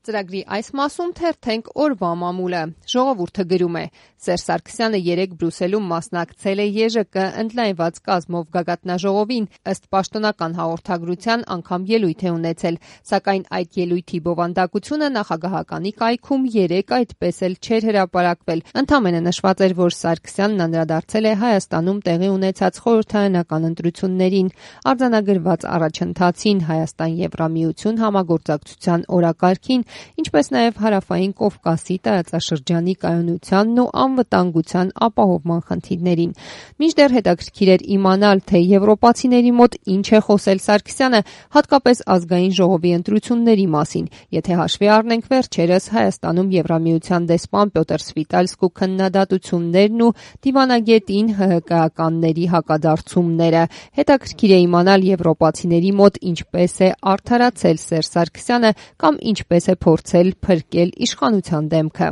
Ծրագրի այս մասում թերթենք օրվա մամուլը։ Ժողովուրդը գրում է. Սերժ Սարգսյանը երեկ Բրյուսելում մասնակցել է ԵԺԿ ընդլայնված կազմով գագաթնաժողովին, ըստ պաշտոնական հաղորդագրության անգամ ելույթ է ունեցել, սակայն այդ ելույթի բովանդակությունը նախագահականի կայքում երեկ այդպես էլ չէր հրապարակվել։ Ընդամենը նշված էր, որ Սարգսյանն անդրադարձել է Հայաստանում տեղի ունեցած խորհրդարանական ընտրություններին, արձանագրված առաջընթացին, Հայաստան-Եվրամիություն համագործակցության օրակարգին, ինչպես նաև Հարավային Կովկասի տարածաշրջանի կայունությանն ու անվտանգության ապահովման խնդիրներին։ Մինչդեռ հետաքրքիր էր իմանալ, թե եվրոպացիների մոտ ինչ է խոսել Սարգսյանը, հատկապես ազգային ժողովի ընտրությունների մասին, եթե հաշվի առնենք վերջերս Հայաստանում Եվրամիության դեսպան Պյոտր Սվիտալսկու քննադատություններն ու դիվանագետին ՀՀԿ-ականների հակադարձումները։ Հետաքրքիր է իմանալ եվրոպացիների մոտ ինչպես է արդարացել Սերժ Սարգսյանը կամ ինչպես է փորձել փրկել իշխանության դեմքը։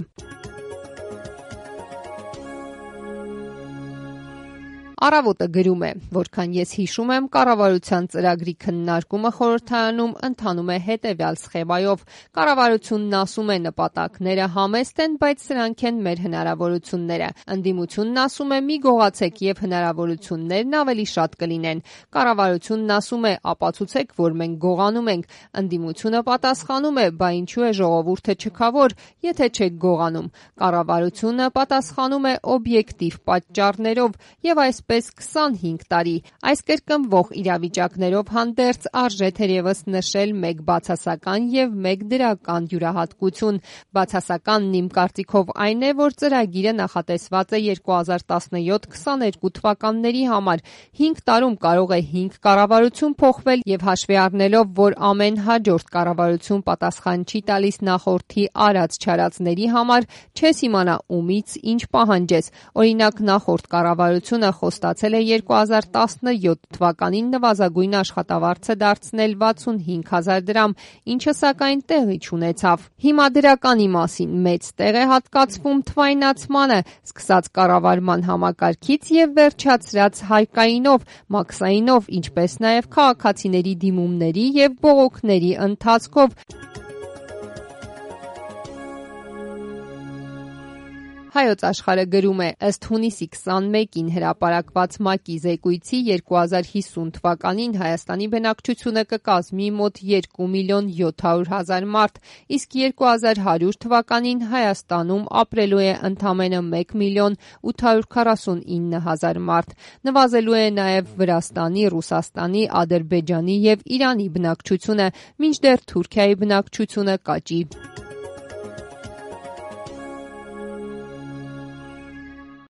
Առավոտը գրում է, որքան ես հիշում եմ, կառավարության ծրագրի քննարկումը խորհրդարանում ընթանում է հետևյալ սխեմայով. կառավարությունն ասում է նպատակները համեստ են, բայց սրանք են մեր հնարավորությունները։ Ընդդիմությունն ասում է մի գողացեք եւ հնարավորություններն ավելի շատ կլինեն։ Կառավարությունն ասում է ապացուցեք, որ մենք գողանում ենք։ Ընդդիմությունը պատասխանում է, բա ինչու է ժողովուրդը չքավոր, եթե չեք գողանում։ Կառավարությունը պատասխանում է օբյեկտիվ պատճառներով եւ այսպես 25 տարի։ Այս կրկնվող իրավիճակներով հանդերձ արժե թերևս նշել մեկ բացասական եւ մեկ դրական յուրահատկություն։ Բացասականն իմ կարծիքով այն է, որ ծրագիրը նախատեսված է 2017-22 թվականների համար։ 5 տարում կարող է 5 կառավարություն փոխվել եւ հաշվի առնելով, որ ամեն հաջորդ կառավարություն պատասխան չի տալիս նախորդի արած-չարածների համար, չես իմանա ումից ինչ պահանջես։ Օրինակ նախորդ կառավարությունը խոստացել է 2017 թվականին նվազագույն աշխատավարձը դարձնել 65,000 դրամ, ինչը սակայն տեղի չունեցավ։ Հիմա դրականի մասին մեծ տեղ է հատկացվում թվայնացմանը, սկսած կառավարման համակարգից եւ վերջացրած հայկայինով, մաքսայինով, ինչպես նաեւ քաղաքացիների դիմումների եւ բողոքների ընթացքով։ Հայոց Աշխարհը գրում է. ըստ հունիսի 21-ին հրապարակված ՄԱԿ-ի զեկույցի 2050 թվականին Հայաստանի բնակչությունը կկազմի մոտ 2 միլիոն 700 հազար մարդ, իսկ 2100 թվականին Հայաստանում ապրելու է ընդամենը 1 միլիոն 849 հազար մարդ։ Նվազելու է նաև Վրաստանի, Ռուսաստանի, Ադրբեջանի եւ Իրանի բնակչությունը, մինչդեռ Թուրքիայի բնակչությունը կաճի։